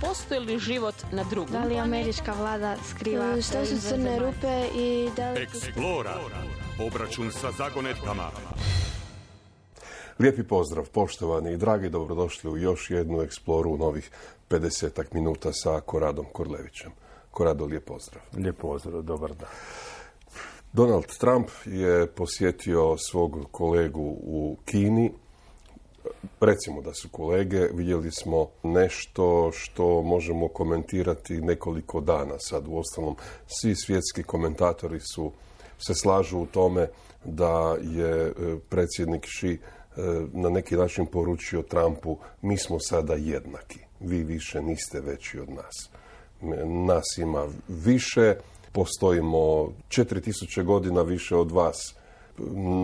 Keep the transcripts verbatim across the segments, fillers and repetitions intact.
postoji li život na drugom Da li američka vlada skriva... Šta su crne rupe i da li... Eksplora. Obračun sa zagonetkama. Lijepi pozdrav, poštovani i dragi, dobrodošli u još jednu eksploru u novih pedesetak minuta sa Koradom Korlevićem. Korado, lijep pozdrav. Lijep pozdrav, dobar dan. Donald Trump je posjetio svog kolegu u Kini. Recimo da su kolege, vidjeli smo nešto što možemo komentirati nekoliko dana. Sad, uostalom, svi svjetski komentatori su, se slažu u tome da je predsjednik Xi na neki način poručio Trumpu: mi smo sada jednaki, vi više niste veći od nas. Nas ima više, postojimo četiri tisuće godina više od vas.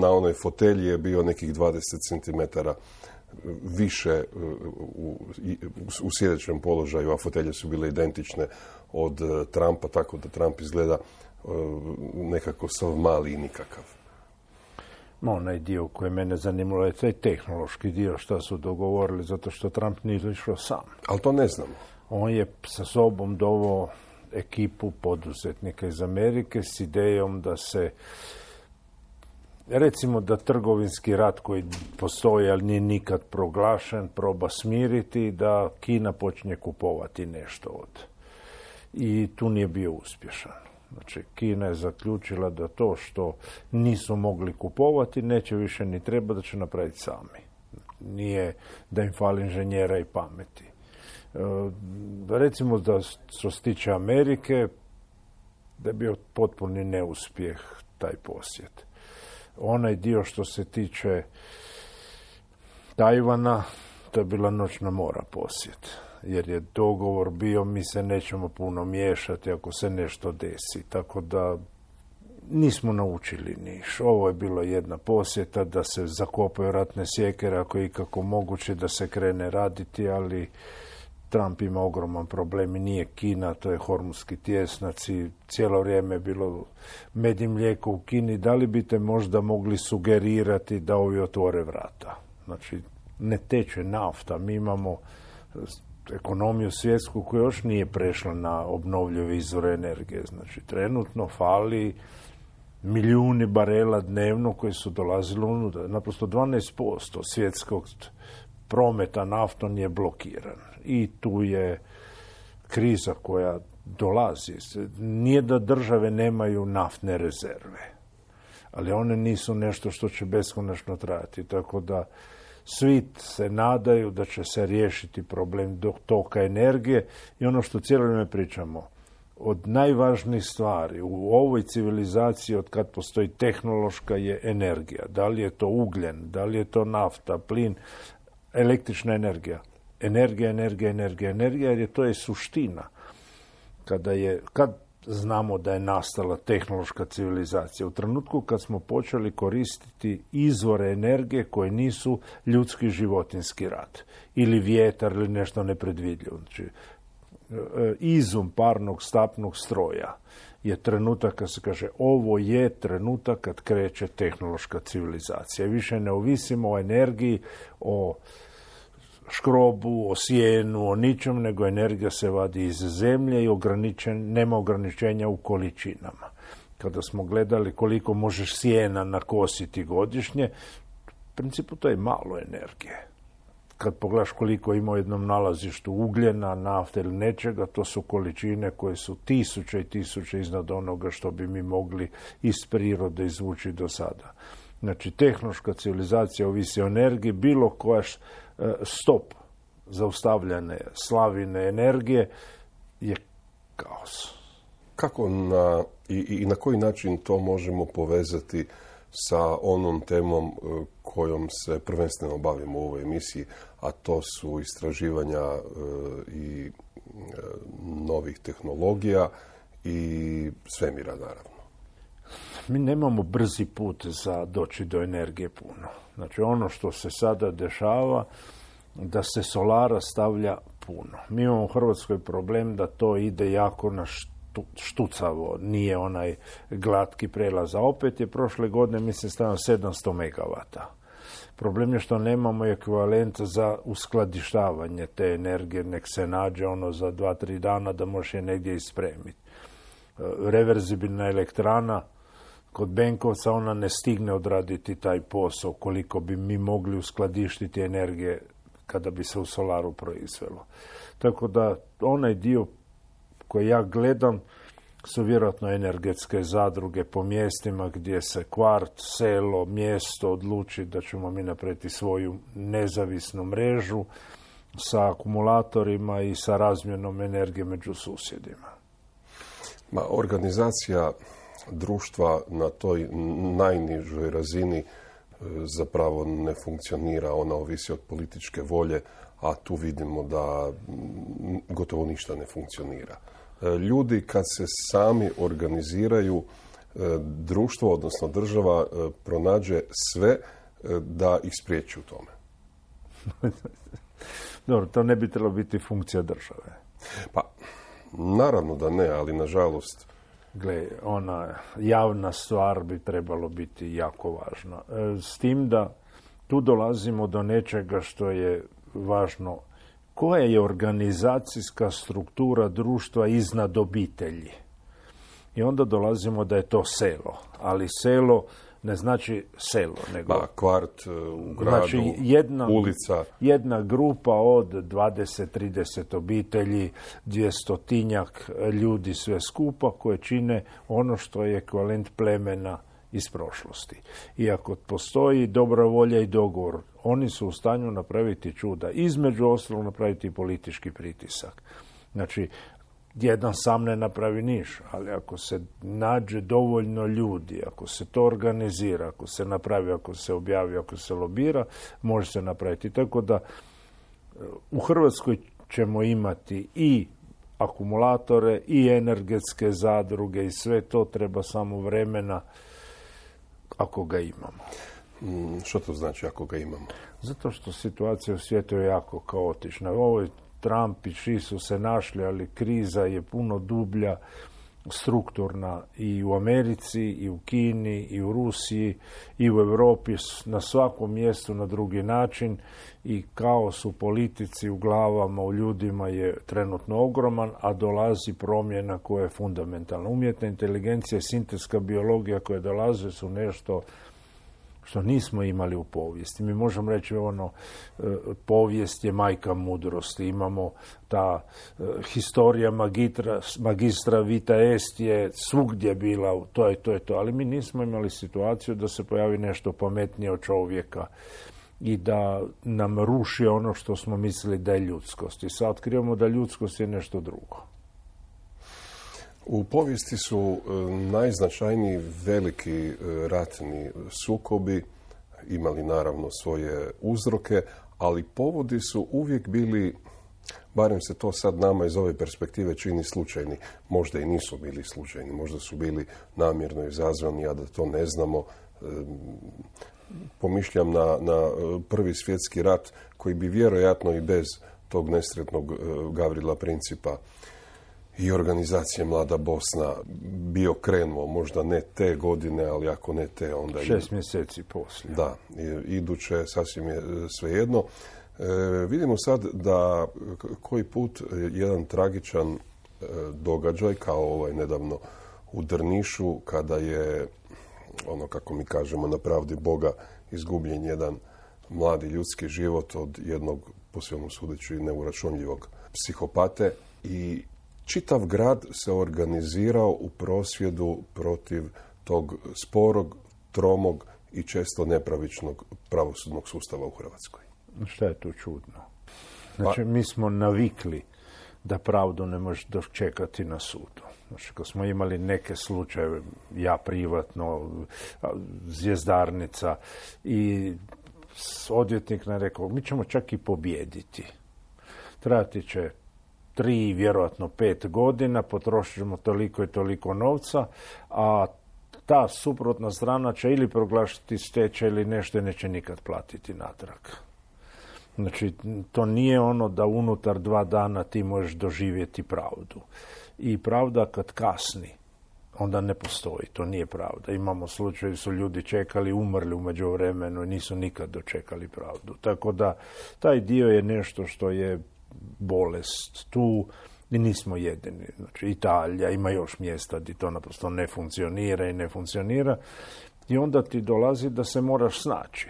Na onoj fotelji je bio nekih dvadeset centimetara više u, u sjedećem položaju, a fotelje su bile identične od Trumpa, tako da Trump izgleda nekako sav mali i nikakav. Onaj dio koji mene zanimalo je taj tehnološki dio, šta su dogovorili, zato što Trump nije išao sam. Ali to ne znamo. On je sa sobom doveo ekipu poduzetnika iz Amerike s idejom da se, recimo da trgovinski rat koji postoji, ali nije nikad proglašen, proba smiriti, da Kina počne kupovati nešto od. I tu nije bio uspješan. Znači, Kina je zaključila da to što nisu mogli kupovati neće više ni treba, da će napraviti sami. Nije da im fali inženjera i pameti. E, recimo da što se tiče Amerike, da je bio potpuni neuspjeh taj posjet. Onaj dio što se tiče Tajvana, to je bila noćna mora posjet. Jer je dogovor bio, mi se nećemo puno miješati ako se nešto desi. Tako da nismo naučili niš. Ovo je bilo jedna posjeta da se zakopaju ratne sjekere ako je ikako moguće da se krene raditi, ali Trump ima ogroman problem i nije Kina, to je Hormuzski tjesnac i cijelo vrijeme je bilo med i mlijeko u Kini. Da li biste možda mogli sugerirati da ovi otvore vrata? Znači, ne teče nafta, mi imamo ekonomiju svjetsku koja još nije prešla na obnovljive izvore energije. Znači, trenutno fali milijuni barela dnevno koji su dolazili unutra. Naprosto dvanaest posto svjetskog prometa naftom je blokiran. I tu je kriza koja dolazi. Nije da države nemaju naftne rezerve, ali one nisu nešto što će beskonačno trajati. Tako da svi se nadaju da će se riješiti problem toka energije i ono što cijelo vrijeme pričamo, od najvažnijih stvari u ovoj civilizaciji od kad postoji tehnološka je energija. Da li je to ugljen, da li je to nafta, plin, električna energija. Energija, energija, energija, energija, jer je to je suština. Kada je, kad znamo da je nastala tehnološka civilizacija? U trenutku kad smo počeli koristiti izvore energije koje nisu ljudski životinski rad. Ili vjetar ili nešto nepredvidljivo. Znači, izum parnog stapnog stroja je trenutak kad se kaže ovo je trenutak kad kreće tehnološka civilizacija. Više ne ovisimo o energiji, o škrobu, o sjenu, o ničem, nego energija se vadi iz zemlje i ograničen, nema ograničenja u količinama. Kada smo gledali koliko možeš sjena nakositi godišnje, u principu to je malo energije. Kad pogledaš koliko ima u jednom nalazištu ugljena, nafte ili nečega, to su količine koje su tisuće i tisuće iznad onoga što bi mi mogli iz prirode izvući do sada. Znači, tehnološka civilizacija ovisi o energiji, bilo koja stop zaustavljane slavine energije je kaos. Kako na, i, i na koji način to možemo povezati sa onom temom kojom se prvenstveno bavimo u ovoj emisiji, a to su istraživanja e, i e, novih tehnologija i svemira, naravno? Mi nemamo brzi put za doći do energije puno. Znači, ono što se sada dešava, da se solara stavlja puno. Mi imamo u Hrvatskoj problem da to ide jako na štucavo, nije onaj glatki prelaz. A opet je prošle godine, mislim, stavljeno sedamsto megavata. Problem je što nemamo ekvivalent za uskladištavanje te energije, nek se nađe ono za dva, tri dana da može je negdje ispremiti. Reverzibilna elektrana kod Benkovca, ona ne stigne odraditi taj posao koliko bi mi mogli uskladištiti energije kada bi se u solaru proizvelo. Tako da onaj dio koji ja gledam su vjerojatno energetske zadruge po mjestima gdje se kvart, selo, mjesto odluči da ćemo mi napraviti svoju nezavisnu mrežu sa akumulatorima i sa razmjenom energije među susjedima. Ma, organizacija društva na toj najnižoj razini zapravo ne funkcionira, ona ovisi od političke volje, a tu vidimo da gotovo ništa ne funkcionira. Ljudi kad se sami organiziraju, društvo, odnosno država, pronađe sve da ih spriječi u tome. Dobro, to ne bi trebalo biti funkcija države. Pa, naravno da ne, ali nažalost... Gle, ona javna stvar bi trebalo biti jako važna. S tim da tu dolazimo do nečega što je važno. Koja je organizacijska struktura društva iznad obitelji? I onda dolazimo da je to selo. Ali selo ne znači selo, nego... Ba, kvart u gradu, znači jedna, ulica. Jedna grupa od dvadeset do trideset obitelji, dvjestotinjak ljudi sve skupa koje čine ono što je ekvivalent plemena iz prošlosti. Iako postoji dobra volja i dogovor, oni su u stanju napraviti čuda. Između ostalog napraviti politički pritisak. Znači, jedan sam ne napravi niš, ali ako se nađe dovoljno ljudi, ako se to organizira, ako se napravi, ako se objavi, ako se lobira, može se napraviti. Tako da u Hrvatskoj ćemo imati i akumulatore i energetske zadruge i sve to, treba samo vremena ako ga imamo. Mm, što to znači ako ga imamo? Zato što situacija u svijetu je jako kaotična. Ovo je Trump i Xi su se našli, ali kriza je puno dublja, strukturna i u Americi, i u Kini, i u Rusiji, i u Europi, na svakom mjestu na drugi način, i kaos u politici, u glavama, u ljudima je trenutno ogroman, a dolazi promjena koja je fundamentalna. Umjetna inteligencija i sintetska biologija koje dolaze su nešto što nismo imali u povijesti. Mi možemo reći ono, povijest je majka mudrosti. Imamo ta historija magistra, magistra vita est je svugdje bila, to je to je to. Ali mi nismo imali situaciju da se pojavi nešto pametnije od čovjeka i da nam ruši ono što smo mislili da je ljudskost. I sad otkrivamo da ljudskost je nešto drugo. U povijesti su najznačajniji veliki ratni sukobi imali naravno svoje uzroke, ali povodi su uvijek bili, barem se to sad nama iz ove perspektive čini, slučajni. Možda i nisu bili slučajni, možda su bili namjerno izazvani, a da to ne znamo. Pomišljam na, na Prvi svjetski rat, koji bi vjerojatno i bez tog nesretnog Gavrila Principa i organizacije Mlada Bosna bio krenuo, možda ne te godine, ali ako ne te, onda... Šest mjeseci poslije. Da, iduće, sasvim je svejedno. E, vidimo sad da koji put jedan tragičan e, događaj, kao ovaj nedavno u Drnišu, kada je, ono kako mi kažemo, na pravdi Boga izgubljen jedan mladi ljudski život od jednog, po svemu sudeći, neuračunljivog psihopate, i čitav grad se organizirao u prosvjedu protiv tog sporog, tromog i često nepravičnog pravosudnog sustava u Hrvatskoj. Šta je tu čudno? Znači, mi smo navikli da pravdu ne možeš dočekati na sudu. Znači, kad smo imali neke slučajeve, ja privatno, Zvjezdarnica, i odvjetnik nam rekao, mi ćemo čak i pobijediti. Trajati će tri, vjerojatno pet godina, potrošit ćemo toliko i toliko novca, a ta suprotna strana će ili proglašiti stečaj ili nešto i neće nikad platiti natrag. Znači, to nije ono da unutar dva dana ti možeš doživjeti pravdu. I pravda kad kasni, onda ne postoji. To nije pravda. Imamo slučaje, su ljudi čekali, umrli u međuvremenu i nisu nikad dočekali pravdu. Tako da taj dio je nešto što je bolest tu i nismo jedini. Znači, Italija ima još mjesta gdje to naprosto ne funkcionira i ne funkcionira i onda ti dolazi da se moraš snaći.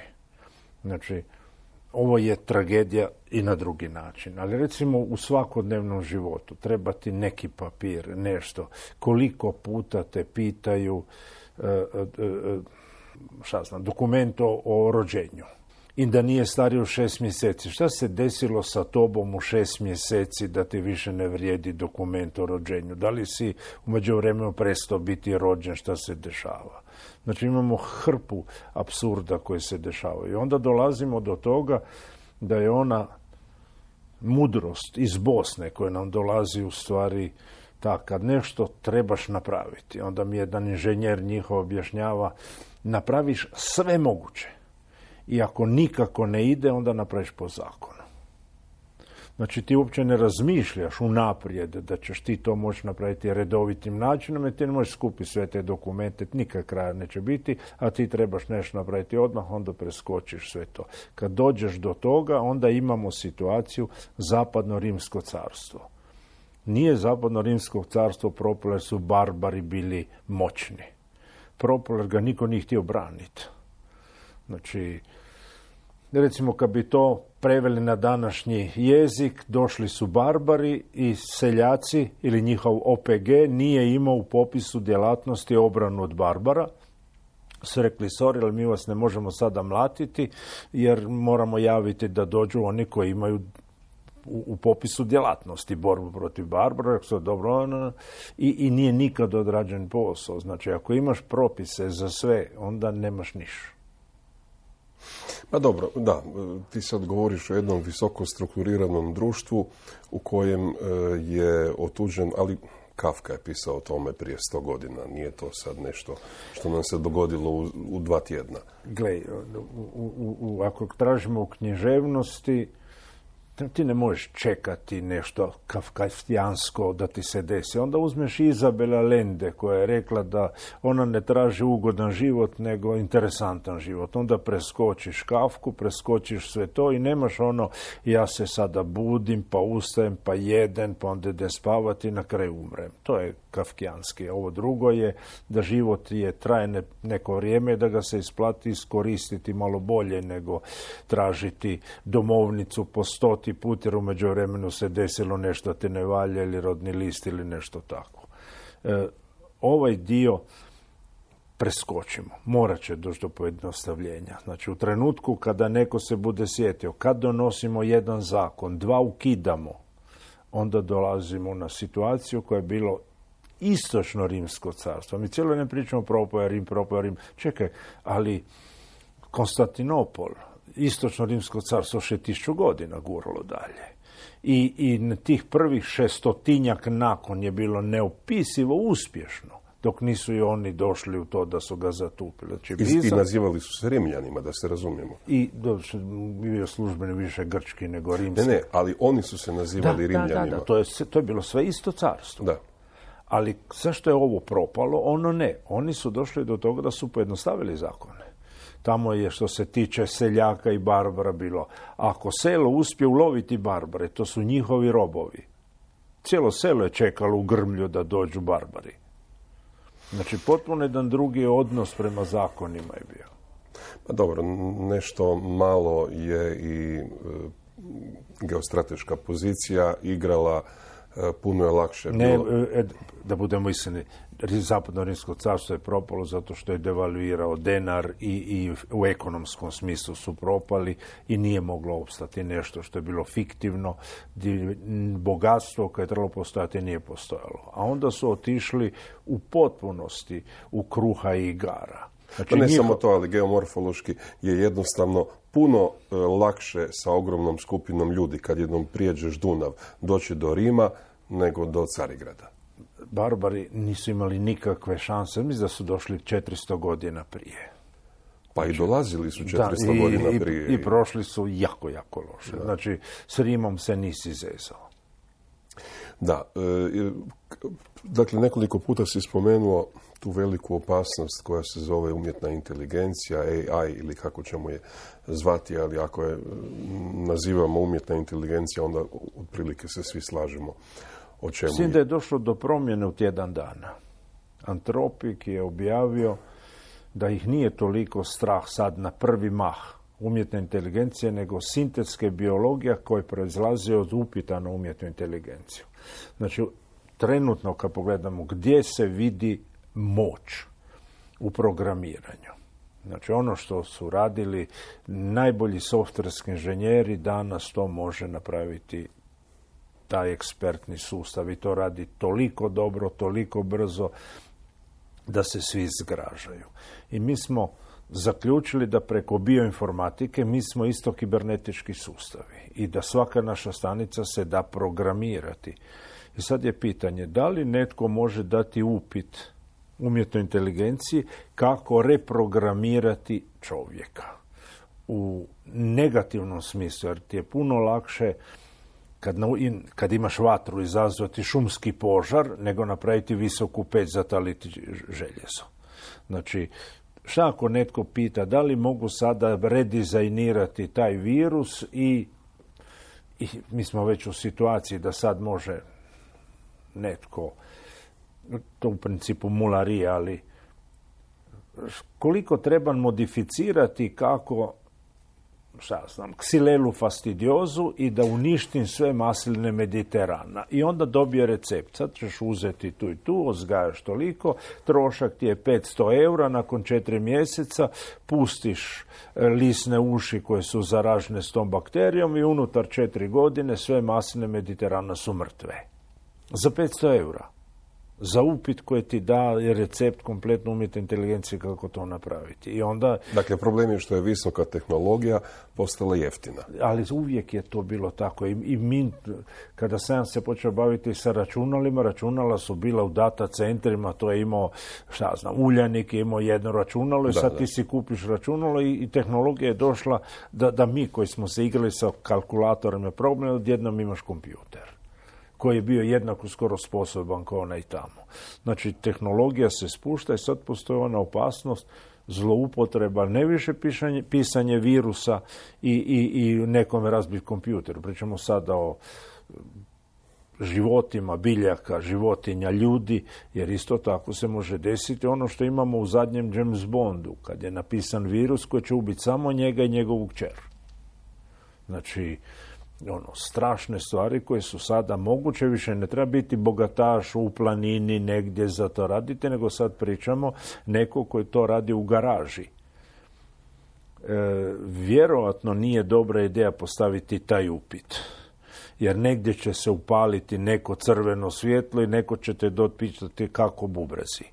Znači, ovo je tragedija i na drugi način. Ali recimo u svakodnevnom životu treba ti neki papir, nešto. Koliko puta te pitaju e, e, šta znam, dokument o, o rođenju. I da nije stariji od šest mjeseci. Šta se desilo sa tobom u šest mjeseci da ti više ne vrijedi dokument o rođenju? Da li si u međuvremenu prestao biti rođen? Šta se dešava? Znači imamo hrpu apsurda koji se dešavaju. I onda dolazimo do toga da je ona mudrost iz Bosne koja nam dolazi u stvari tak, kad nešto trebaš napraviti. Onda mi jedan inženjer njihov objašnjava, napraviš sve moguće. I ako nikako ne ide, onda napraviš po zakonu. Znači ti uopće ne razmišljaš unaprijed da ćeš ti to moći napraviti redovitim načinom i ti ne možeš skupiti sve te dokumente, nikad kraja neće biti, a ti trebaš nešto napraviti odmah, onda preskočiš sve to. Kad dođeš do toga, onda imamo situaciju Zapadno-Rimsko carstvo. Nije Zapadno-Rimsko carstvo propalo jer su barbari bili moćni. Propalo jer ga niko nije htio braniti. Znači, recimo kad bi to preveli na današnji jezik, došli su barbari i seljaci ili njihov O P G nije imao u popisu djelatnosti obranu od barbara. Su rekli, sorry, ali mi vas ne možemo sada mlatiti jer moramo javiti da dođu oni koji imaju u, u popisu djelatnosti borbu protiv barbara. Rekli su, dobro, i, i nije nikad odrađen posao. Znači, ako imaš propise za sve, onda nemaš ništa. Pa dobro, da, ti sad govoriš o jednom visoko strukturiranom društvu u kojem je otuđen, ali Kafka je pisao o tome prije sto godina, nije to sad nešto što nam se dogodilo u, u dva tjedna. Gle, u, u, u, ako tražimo u književnosti, ti ne možeš čekati nešto kafkastijansko da ti se desi. Onda uzmeš Izabela Allende koja je rekla da ona ne traži ugodan život nego interesantan život. Onda preskočiš Kafku, preskočiš sve to i nemaš ono ja se sada budim, pa ustajem, pa jedem, pa onda idem spavati i na kraju umrem. To je kafkijanski. Ovo drugo je da život je traje neko vrijeme, da ga se isplati iskoristiti malo bolje nego tražiti domovnicu po stoti put jer u međuvremenu se desilo nešto te ne valja ili rodni list ili nešto tako. E, ovaj dio preskočimo. Morat će doći do pojednostavljenja. Znači u trenutku kada neko se bude sjetio, kad donosimo jedan zakon, dva ukidamo, onda dolazimo na situaciju koja je bilo istočno Rimsko carstvo. Mi cijelo ne pričamo propao je Rim, propao je Rim. Čekaj, ali Konstantinopol, istočno Rimsko carstvo še tisuću godina guralo dalje. I, i na tih prvih šestotinjak nakon je bilo neopisivo uspješno, dok nisu i oni došli u to da su ga zatupili. Znači, I, Bizan, I nazivali su se Rimljanima, da se razumijemo. I bio službeni više grčki nego rimski. Ne, ne, ali oni su se nazivali da, Rimljanima. Da, da, da, to je, to je bilo sve isto carstvo. Da. Ali zašto je ovo propalo? Ono ne. Oni su došli do toga da su pojednostavili zakone. Tamo je što se tiče seljaka i barbara bilo. Ako selo uspije uloviti barbare, to su njihovi robovi. Cijelo selo je čekalo u grmlju da dođu barbari. Znači, potpuno jedan drugi odnos prema zakonima je bio. Pa dobro, nešto malo je i e, geostrateška pozicija igrala, e, puno je lakše ne, bilo. E, da budemo iskreni, Zapadno Rimsko carstvo je propalo zato što je devaluirao denar i, i u ekonomskom smislu su propali i nije moglo opstati nešto što je bilo fiktivno. Bogatstvo koje je trebalo postojati nije postojalo. A onda su otišli u potpunosti u kruha i igara. Znači, pa ne njiho... samo to, ali geomorfološki je jednostavno puno e, lakše sa ogromnom skupinom ljudi kad jednom prijeđeš Dunav doći do Rima nego do Carigrada. Barbari nisu imali nikakve šanse. Mislim da su došli četiristo godina prije. Pa i dolazili su četiristo da, i, godina i, prije. I prošli su jako, jako loše. Da. Znači, s Rimom se nisi zezao. Da, e, dakle nekoliko puta si spomenuo tu veliku opasnost koja se zove umjetna inteligencija, A I ili kako ćemo je zvati, ali ako je nazivamo umjetna inteligencija, onda otprilike se svi slažemo o čemu Mislim je. da je došlo do promjene u tjedan dana. Antropik je objavio da ih nije toliko strah sad na prvi mah umjetne inteligencije, nego sintetske biologija koja proizlazi od upita na umjetnu inteligenciju. Znači, trenutno kad pogledamo gdje se vidi moć u programiranju. Znači, ono što su radili najbolji softverski inženjeri, danas to može napraviti taj ekspertni sustav i to radi toliko dobro, toliko brzo da se svi zgražaju. I mi smo zaključili da preko bioinformatike mi smo isto kibernetički sustavi i da svaka naša stanica se da programirati. I sad je pitanje, da li netko može dati upit umjetnoj inteligenciji kako reprogramirati čovjeka u negativnom smislu, jer ti je puno lakše kad, na, kad imaš vatru izazvati šumski požar, nego napraviti visoku peć za taliti željezo. Znači, šta ako netko pita da li mogu sada redizajnirati taj virus i, i mi smo već u situaciji da sad može netko, to u principu mularija, ali koliko treba modificirati kako, šta znam, ksilelu fastidiozu i da uništim sve masline Mediterana. I onda dobije recept. Sad ćeš uzeti tu i tu, uzgajaš toliko, trošak ti je petsto eura, nakon četiri mjeseca pustiš lisne uši koje su zaražene s tom bakterijom i unutar četiri godine sve masline Mediterana su mrtve. Za petsto eura. Za upit koji ti da recept kompletno umjetne inteligencije kako to napraviti. I onda, dakle, problem je što je visoka tehnologija postala jeftina. Ali uvijek je to bilo tako. I, i mi, kada sam se počeo baviti sa računalima, računala su bila u data centrima, to je imao, šta znam, Uljanik je imao jedno računalo i da, sad da. ti si kupiš računalo i, i tehnologija je došla da, da mi koji smo se igrali sa kalkulatorima problem, odjednom imaš kompjuter koji je bio jednako skoro sposoban kao onaj tamo. Znači, tehnologija se spušta i sad postoji ona opasnost zloupotreba, ne više pisanje, pisanje virusa i, i, i nekome razbiti kompjuter. Pričamo sada o životima, biljaka, životinja, ljudi, jer isto tako se može desiti ono što imamo u zadnjem James Bondu, kad je napisan virus koji će ubiti samo njega i njegovu kćer. Znači, ono, strašne stvari koje su sada moguće, više ne treba biti bogataš u planini negdje za to raditi, nego sad pričamo neko koji to radi u garaži. E, vjerojatno nije dobra ideja postaviti taj upit, jer negdje će se upaliti neko crveno svjetlo i neko će te dotpitati kako bubrezi.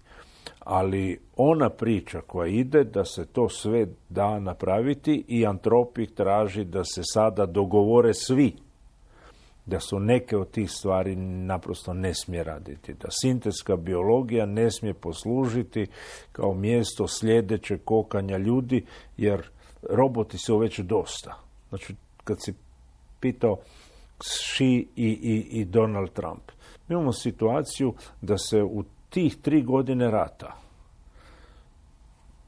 Ali ona priča koja ide da se to sve da napraviti i Antropik traži da se sada dogovore svi da su neke od tih stvari naprosto ne smije raditi. Da sintetska biologija ne smije poslužiti kao mjesto sljedećeg kokanja ljudi, jer roboti su već dosta. Znači, kad si pitao Xi i, i, i Donald Trump, mi imamo situaciju da se u tih tri godine rata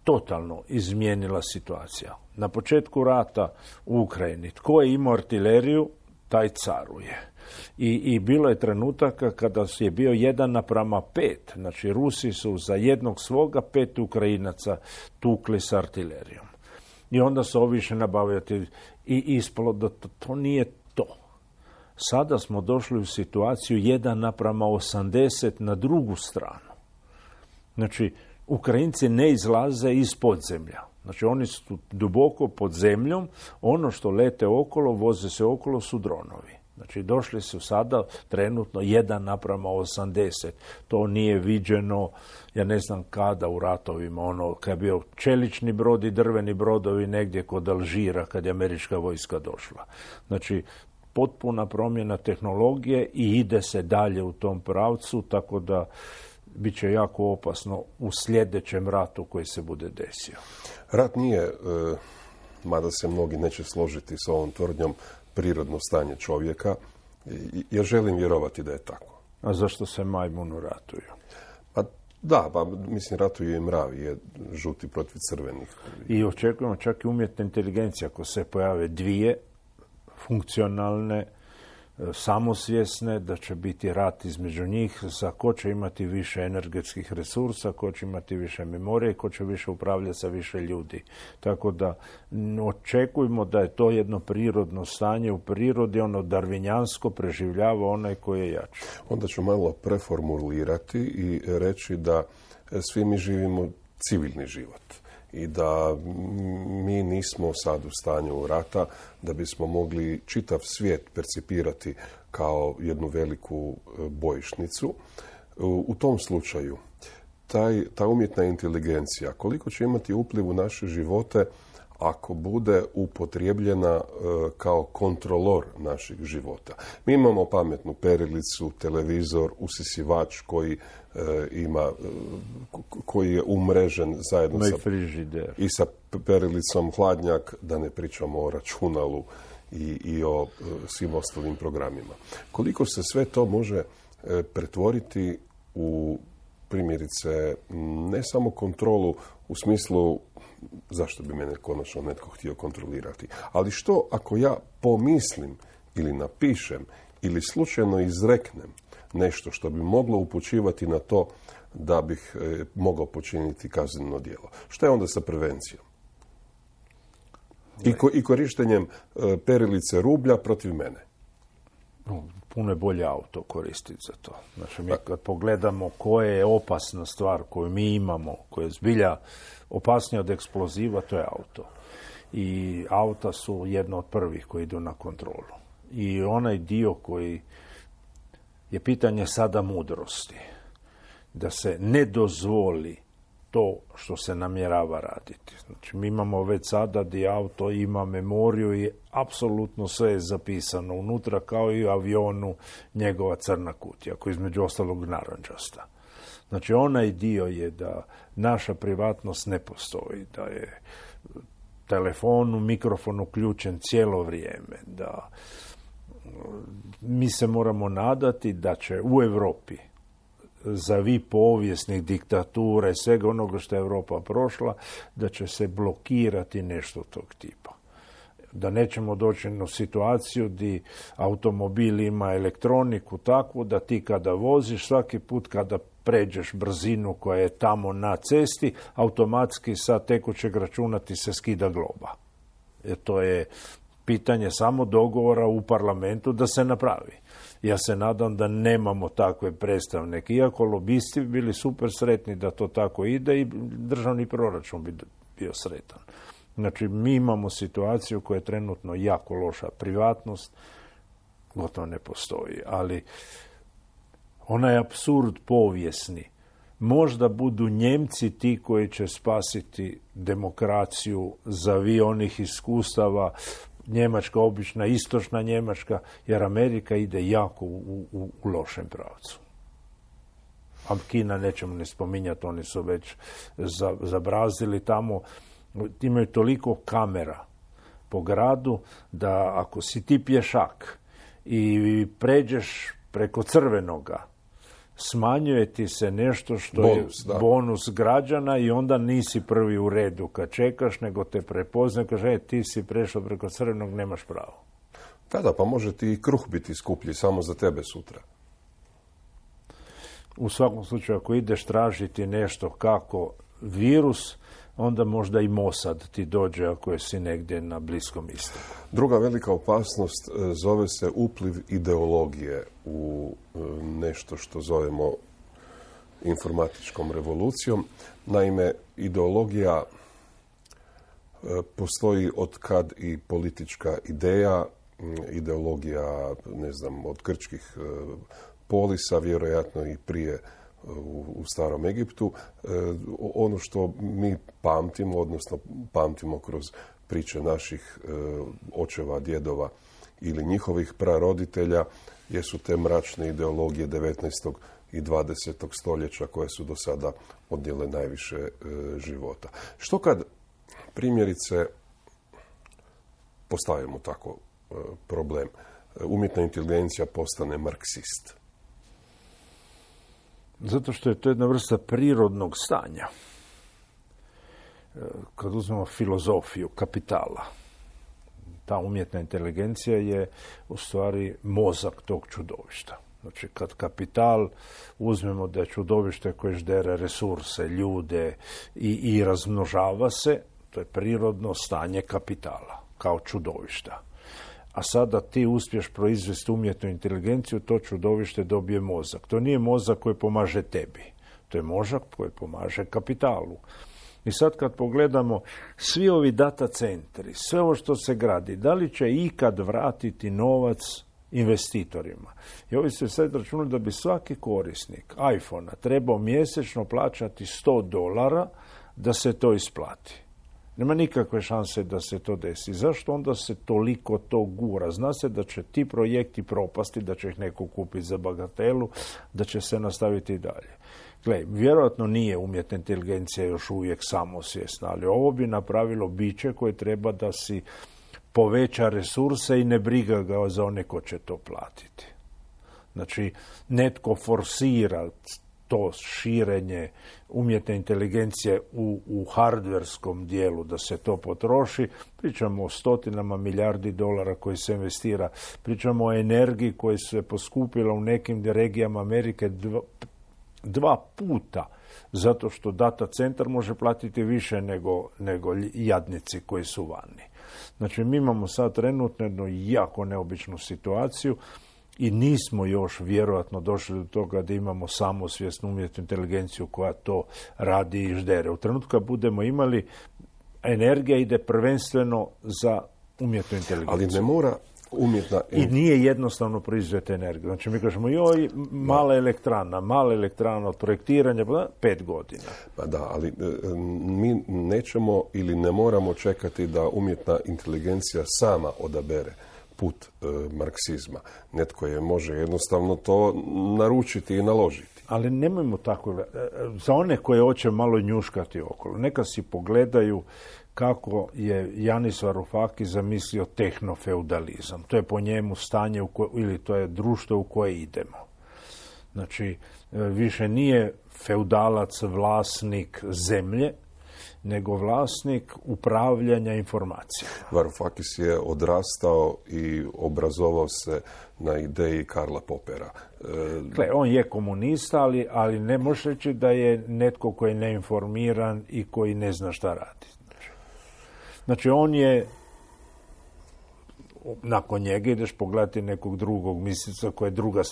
totalno izmijenila situacija. Na početku rata u Ukrajini, tko je imao artileriju, taj caruje. I, i bilo je trenutaka kada je bio jedan naprama pet. Znači, Rusi su za jednog svoga pet Ukrajinaca tukli s artilerijom. I onda su ovi više nabavljati i ispalo da to, to nije to. Sada smo došli u situaciju jedan naprama osamdeset na drugu stranu. Znači, Ukrajinci ne izlaze iz podzemlja. Znači, oni su duboko pod zemljom, ono što lete okolo, voze se okolo su dronovi. Znači, došli su sada trenutno jedan naprama osamdeset. To nije viđeno, ja ne znam kada u ratovima, ono, kad je bio čelični brod i drveni brodovi negdje kod Alžira, kad je američka vojska došla. Znači, potpuna promjena tehnologije i ide se dalje u tom pravcu, tako da bit će jako opasno u sljedećem ratu koji se bude desio. Rat nije, e, mada se mnogi neće složiti s ovom tvrdnjom, prirodno stanje čovjeka. I, ja želim vjerovati da je tako. A zašto se majmunu ratuju? Pa da, pa mislim ratuju i mravi, je žuti protiv crvenih. I očekujemo čak i umjetna inteligencija, ako se pojave dvije funkcionalne, samosvjesne, da će biti rat između njih za ko će imati više energetskih resursa, ko će imati više memorije, ko će više upravljati sa više ljudi. Tako da očekujemo da je to jedno prirodno stanje u prirodi, ono darvinjansko preživljava onaj koji je jači. Onda ću malo preformulirati i reći da svi mi živimo civilni život i da mi nismo sad u stanju rata da bismo mogli čitav svijet percipirati kao jednu veliku bojišnicu. U tom slučaju taj, ta umjetna inteligencija koliko će imati upliv u naše živote ako bude upotrijebljena kao kontrolor naših života. Mi imamo pametnu perilicu, televizor, usisivač koji ima, koji je umrežen zajedno sa, i sa perilicom hladnjak, da ne pričamo o računalu i, i o svim ostalim programima. Koliko se sve to može pretvoriti u primjerice ne samo kontrolu u smislu zašto bi mene konačno netko htio kontrolirati, ali što ako ja pomislim ili napišem ili slučajno izreknem nešto što bi moglo upućivati na to da bih e, mogao počiniti kazneno djelo. Što je onda sa prevencijom? I, ko, i korištenjem e, perilice rublja protiv mene. Puno je bolje auto koristiti za to. Znači, mi kad pogledamo koja je opasna stvar koju mi imamo, koja je zbilja opasnija od eksploziva, to je auto. I auta su jedno od prvih koji idu na kontrolu. I onaj dio koji je pitanje sada mudrosti, da se ne dozvoli to što se namjerava raditi. Znači, mi imamo već sada di auto ima memoriju i apsolutno sve je zapisano unutra, kao i u avionu njegova crna kutija, koja je između ostalog narančasta. Znači, onaj dio je da naša privatnost ne postoji, da je telefon, mikrofon uključen cijelo vrijeme, da mi se moramo nadati da će u Europi za vi povijesnih diktatura i svega onoga što je Europa prošla, da će se blokirati nešto tog tipa. Da nećemo doći u situaciju gdje automobil ima elektroniku takvu da ti kada voziš, svaki put kada pređeš brzinu koja je tamo na cesti, automatski sa tekućeg računa ti se skida globa. Jer to je pitanje samo dogovora u parlamentu da se napravi. Ja se nadam da nemamo takve predstavnike. Iako lobisti bi bili super sretni da to tako ide i državni proračun bi bio sretan. Znači, mi imamo situaciju koja je trenutno jako loša. Privatnost gotovo ne postoji. Ali onaj apsurd povijesni. Možda budu Njemci ti koji će spasiti demokraciju za vi onih iskustava, Njemačka, obična istočna Njemačka, jer Amerika ide jako u, u, u lošem pravcu. A Kina nećemo ne spominjati, oni su već zabrazili tamo, imaju toliko kamera po gradu da ako si ti pješak i pređeš preko crvenoga, smanjuje ti se nešto što bonus, je da. bonus građana i onda nisi prvi u redu kad čekaš, nego te prepozna, kaže, e, ti si prešao preko crvenog, nemaš pravo. Da, da, pa može ti i kruh biti skuplji samo za tebe sutra. U svakom slučaju, ako ideš tražiti nešto kako virus, onda možda i Mossad ti dođe ako si negdje na Bliskom istoku. Druga velika opasnost zove se upliv ideologije u nešto što zovemo informatičkom revolucijom. Naime, ideologija postoji od kad i politička ideja, ideologija, ne znam, od grčkih polisa, vjerojatno i prije u, u starom Egiptu. E, ono što mi pamtimo, odnosno pamtimo kroz priče naših e, očeva, djedova ili njihovih praroditelja, jesu te mračne ideologije devetnaestog i dvadesetog stoljeća koje su do sada odnijele najviše e, života. Što kad primjerice postavimo tako e, problem? E, umjetna inteligencija postane marksist? Zato što je to jedna vrsta prirodnog stanja. Kad uzmemo filozofiju kapitala, ta umjetna inteligencija je u stvari mozak tog čudovišta. Znači, kad kapital uzmemo da je čudovište koje ždere resurse, ljude i, i razmnožava se, to je prirodno stanje kapitala, kao čudovišta. A sada ti uspješ proizvesti umjetnu inteligenciju, to čudovište dobije mozak. To nije mozak koji pomaže tebi, to je mozak koji pomaže kapitalu. I sad kad pogledamo svi ovi data centri, sve ovo što se gradi, da li će ikad vratiti novac investitorima? I ovi se sad računali da bi svaki korisnik iPhone-a trebao mjesečno plaćati sto dolara da se to isplati. Nema nikakve šanse da se to desi. Zašto onda se toliko to gura? Zna se da će ti projekti propasti, da će ih neko kupiti za bagatelu, da će se nastaviti dalje. Gle, vjerojatno nije umjetna inteligencija još uvijek samosvjesna, ali ovo bi napravilo biće koje treba da si poveća resurse i ne briga ga za one ko će to platiti. Znači, netko forsira to širenje umjetne inteligencije u, u hardverskom dijelu, da se to potroši. Pričamo o stotinama milijardi dolara koji se investira. Pričamo o energiji koja se poskupila u nekim regijama Amerike dva, dva puta, zato što data centar može platiti više nego, nego jadnici koji su vani. Znači, mi imamo sad trenutno jednu jako neobičnu situaciju i nismo još vjerojatno došli do toga da imamo samosvjesnu umjetnu inteligenciju koja to radi i ždere. U trenutku kad budemo imali, energija ide prvenstveno za umjetnu inteligenciju. Ali ne mora umjetna... I nije jednostavno proizvesti energiju. Znači, mi kažemo, joj, mala elektrana, mala elektrana od projektiranja, pet godina. Pa da, ali mi nećemo ili ne moramo čekati da umjetna inteligencija sama odabere put e, marksizma. Netko je može jednostavno to naručiti i naložiti. Ali nemojmo tako. Za one koje hoće malo njuškati okolo, neka si pogledaju kako je Janis Varoufakis zamislio tehnofeudalizam. To je po njemu stanje u koje, ili to je društvo u koje idemo. Znači, više nije feudalac vlasnik zemlje, nego vlasnik upravljanja informacijama. Varoufakis je odrastao i obrazovao se na ideji Karla Popera. Gle, on je komunista, ali, ali ne može reći da je netko koji je neinformiran i koji ne zna šta radi. Znači, znači on je, nakon njega ideš pogledati nekog drugog mislica koja je druga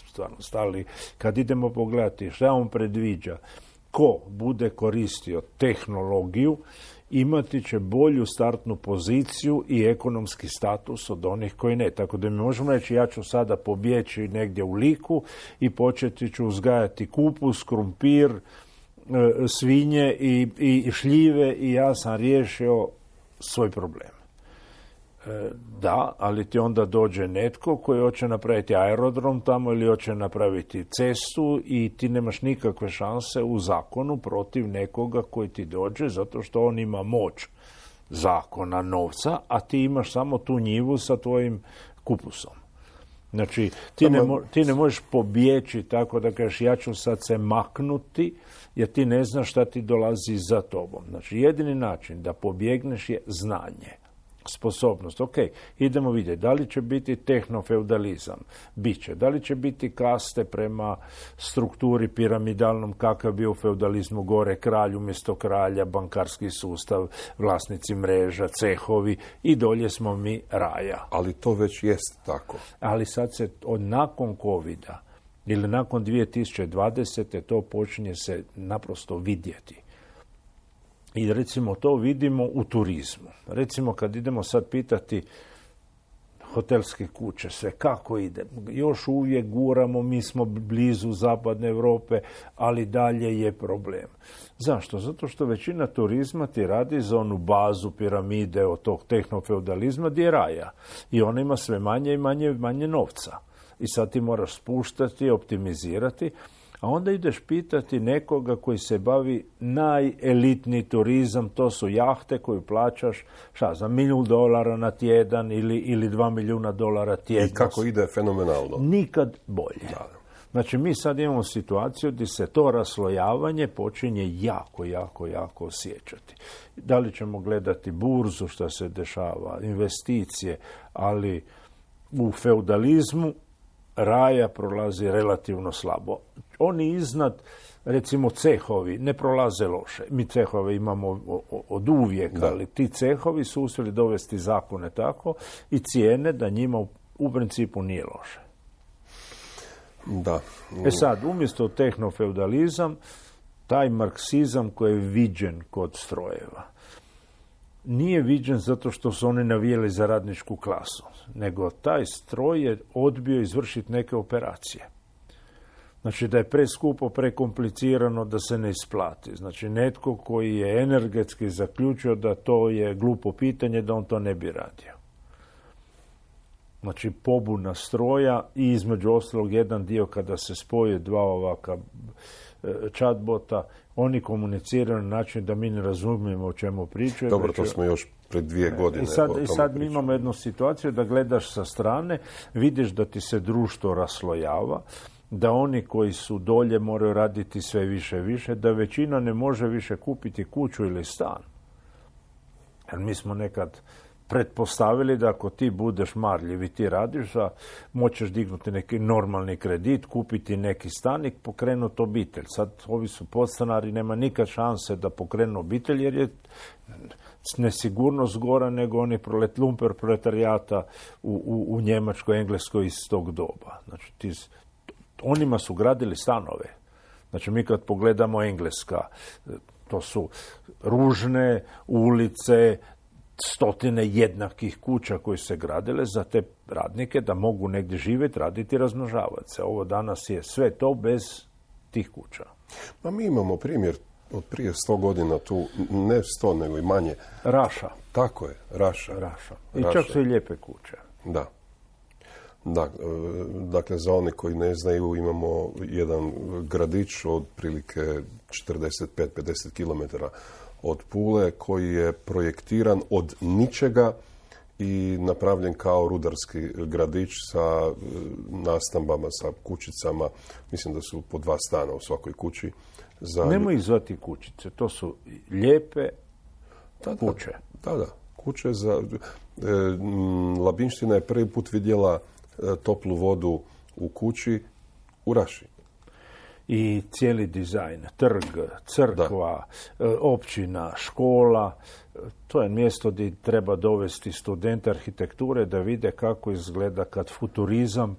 stvarno stali. Kad idemo pogledati šta on predviđa, ko bude koristio tehnologiju, imati će bolju startnu poziciju i ekonomski status od onih koji ne. Tako da mi možemo reći, ja ću sada pobjeći negdje u Liku i početi ću uzgajati kupus, krumpir, svinje i, i šljive i ja sam riješio svoj problem. Da, ali ti onda dođe netko koji hoće napraviti aerodrom tamo ili hoće napraviti cestu i ti nemaš nikakve šanse u zakonu protiv nekoga koji ti dođe zato što on ima moć zakona, novca, a ti imaš samo tu njivu sa tvojim kupusom. Znači, ti ne, mo- ti ne možeš pobjeći tako da kažeš ja ću sad se maknuti jer ti ne znaš šta ti dolazi za tobom. Znači, jedini način da pobjegneš je znanje. Sposobnost. Ok, idemo vidjeti da li će biti tehnofeudalizam. Biće. Da li će biti kaste prema strukturi piramidalnom kakav bio u feudalizmu, gore kralj umjesto kralja, bankarski sustav, vlasnici mreža, cehovi i dolje smo mi raja. Ali to već jest tako. Ali sad se od nakon covida ili nakon dvije tisuće dvadesete to počinje se naprosto vidjeti. I recimo to vidimo u turizmu. Recimo kad idemo sad pitati hotelske kuće, sve kako ide. Još uvijek guramo, mi smo blizu zapadne Europe, ali dalje je problem. Zašto? Zato što većina turizma ti radi za onu bazu piramide od tog tehnofeudalizma gdje je raja. I ona ima sve manje i manje, manje novca. I sad ti moraš spuštati, optimizirati. A onda ideš pitati nekoga koji se bavi najelitniji turizam, to su jahte koju plaćaš, šta za milijun dolara na tjedan ili, ili dva milijuna dolara tjedno. I kako ide fenomenalno. Nikad bolje. Da. Znači, mi sad imamo situaciju gdje se to raslojavanje počinje jako, jako, jako osjećati. Da li ćemo gledati burzu, što se dešava, investicije, ali u feudalizmu raja prolazi relativno slabo. Oni iznad, recimo cehovi, ne prolaze loše. Mi cehove imamo od uvijek, da. Ali ti cehovi su uspjeli dovesti zakone tako i cijene da njima u principu nije loše. Da. E sad, umjesto tehnofeudalizam, taj marksizam koji je viđen kod strojeva, nije viđen zato što su oni navijeli za radničku klasu, nego taj stroj je odbio izvršiti neke operacije. Znači da je preskupo, prekomplicirano, da se ne isplati. Znači netko koji je energetski zaključio da to je glupo pitanje, da on to ne bi radio. Znači pobuna stroja i između ostalog jedan dio kada se spoje dva ovaka chatbota, oni komuniciraju na način da mi ne razumijemo o čemu pričaju. Dobro, to smo još pred dvije godine. I sad, i sad mi imamo jednu situaciju da gledaš sa strane, vidiš da ti se društvo raslojava, da oni koji su dolje moraju raditi sve više i više, da većina ne može više kupiti kuću ili stan. Jer mi smo nekad pretpostavili da ako ti budeš marljiv i ti radiš, da moćeš dignuti neki normalni kredit, kupiti neki stan i pokrenuti obitelj. Sad ovi su podstanari, nema nikad šanse da pokrenu obitelj jer je nesigurnost gora nego oni prolet, lumper proletarijata u, u, u Njemačkoj, Engleskoj iz tog doba. Znači, ti, onima su gradili stanove. Znači, mi kad pogledamo Engleska, to su ružne ulice, stotine jednakih kuća koje se gradile za te radnike da mogu negdje živjeti, raditi i razmnožavati se. Ovo danas je sve to bez tih kuća. Ma mi imamo primjer od prije sto godina tu, ne sto nego i manje. Raša. Tako je, Raša. Raša. I Raša. Čak su i lijepe kuće. Da. Da, dakle, za one koji ne znaju, imamo jedan gradić od prilike četrdeset pet do pedeset kilometara od Pule, koji je projektiran od ničega i napravljen kao rudarski gradić sa nastambama, sa kućicama. Mislim da su po dva stana u svakoj kući. Za... Nemoj ih zvati kućice, to su lijepe da, kuće. Da, da, kuće za... E, Labinština je prvi put vidjela e, toplu vodu u kući u Raši. I cijeli dizajn, trg, crkva, da. općina, škola, to je mjesto gdje treba dovesti studente arhitekture da vide kako izgleda kad futurizam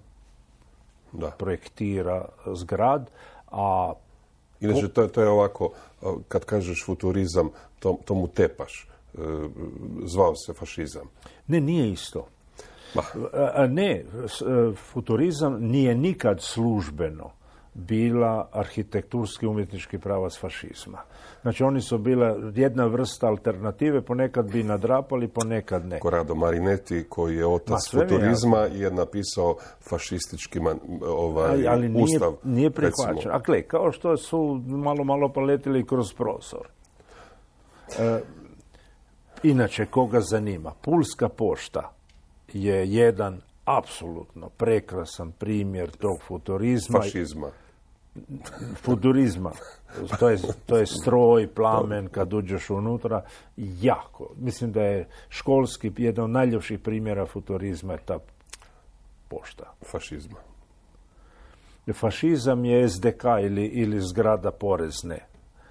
da. projektira zgrad, a... Inače, to, to je ovako, kad kažeš futurizam, to, to mu tepaš. Zvao se fašizam. Ne, nije isto. A ne, futurizam nije nikad službeno bila arhitekturski umjetnički pravac fašizma. Znači, oni su bila jedna vrsta alternative, ponekad bi nadrapali, ponekad ne. Corrado Marinetti, koji je otac Ma, futurizma, je napisao fašistički man, ovaj, ali, ali nije, ustav. Nije prihvaćen. A gle, kao što su malo, malo paletili kroz prozor. E, inače, koga zanima? Pulska pošta je jedan apsolutno prekrasan primjer tog futurizma. Fašizma. Futurizma. To je, to je stroj, plamen, kad uđeš unutra. Jako. Mislim da je školski, jedan od najljepših primjera futurizma je ta pošta. Fašizma. Fašizam je es de ka ili, ili zgrada porezne.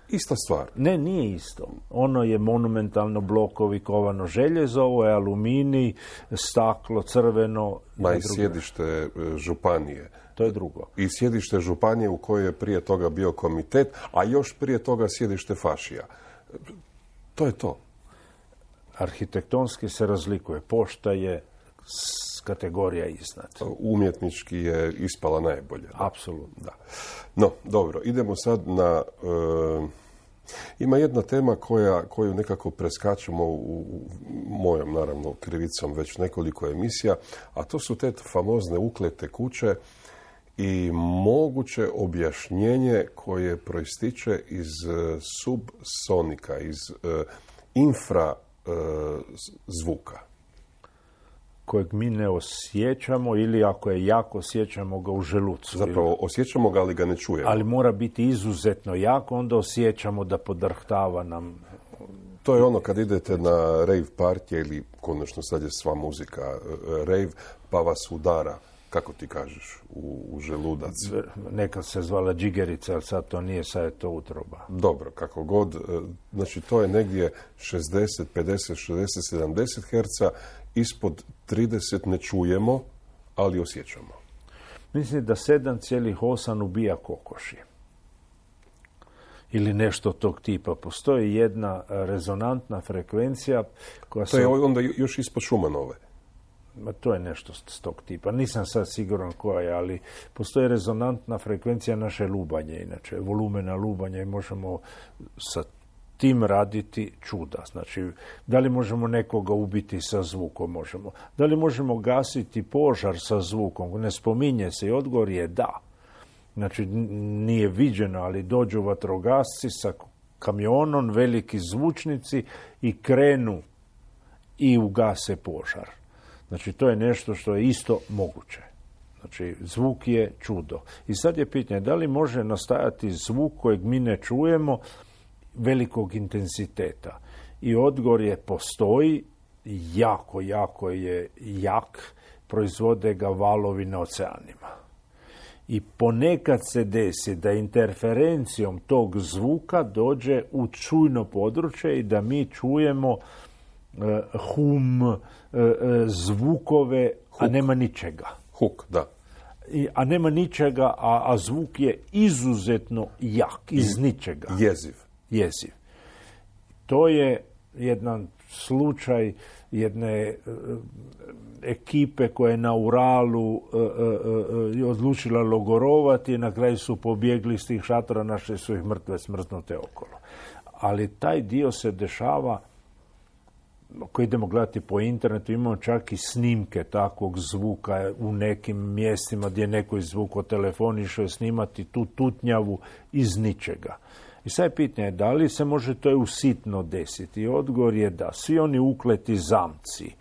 Ista stvar. Ne, nije isto. Ono je monumentalno blokovi, kovano željezo, ovo je aluminij, staklo, crveno. Ma i sjedište županije. To je drugo. I sjedište županije u kojoj je prije toga bio komitet, a još prije toga sjedište fašija. To je to. Arhitektonski se razlikuje. Pošta je kategorija iznad. Umjetnički je ispala najbolje. Da. Apsolutno. Da. No, dobro, idemo sad na... E, ima jedna tema koja, koju nekako preskačemo u, u mojom, naravno, krivicom već nekoliko emisija, a to su te famozne uklete kuće i moguće objašnjenje koje proističe iz subsonika, iz infra zvuka. Kojeg mi ne osjećamo ili ako je jako osjećamo ga u želucu. Zapravo ili... osjećamo ga, ali ga ne čujemo. Ali mora biti izuzetno jako, onda osjećamo da podrhtava nam. To je ono kad idete na rave partije ili konačno sad je sva muzika rave, pa vas udara, kako ti kažeš, u, u želudac. Nekad se zvala džigerica, ali sad to nije, sad je to utroba. Dobro, kako god. Znači to je negdje šezdeset, pedeset, šezdeset, sedamdeset herca, ispod trideset ne čujemo, ali osjećamo. Mislim da sedam zarez osam ubija kokoši. Ili nešto tog tipa. Postoji jedna rezonantna frekvencija koja to se... je onda još ispod Šumanove. Ma to je nešto s tog tipa. Nisam sad siguran koja je, ali postoji rezonantna frekvencija naše lubanje, inače volumena lubanja i možemo sa tim raditi čuda. Znači, da li možemo nekoga ubiti sa zvukom? Možemo. Da li možemo gasiti požar sa zvukom? Ne spominje se i odgovor je da. Znači, nije viđeno, ali dođu vatrogasci sa kamionom, veliki zvučnici i krenu i ugase požar. Znači, to je nešto što je isto moguće. Znači, zvuk je čudo. I sad je pitanje, da li može nastajati zvuk kojeg mi ne čujemo velikog intenziteta? I odgovor je postoji, jako, jako je jak, proizvode ga valovi na oceanima. I ponekad se desi da interferencijom tog zvuka dođe u čujno područje i da mi čujemo uh, hum, uh, zvukove, huk. A nema ničega. Huk, da. I, a nema ničega, a, a zvuk je izuzetno jak, iz ničega. Jeziv. Jeziv. To je jedan slučaj jedne uh, ekipe koja je na Uralu uh, uh, uh, odlučila logorovati i na kraju su pobjegli iz tih šatora, našli su ih mrtve smrznute okolo. Ali taj dio se dešava, ako idemo gledati po internetu, imamo čak i snimke takvog zvuka u nekim mjestima gdje neko izvukao telefon, išao je snimati tu tutnjavu iz ničega. I sad je pitanje, da li se može to usitno desiti? I odgovor je da. Svi oni ukleti zamci,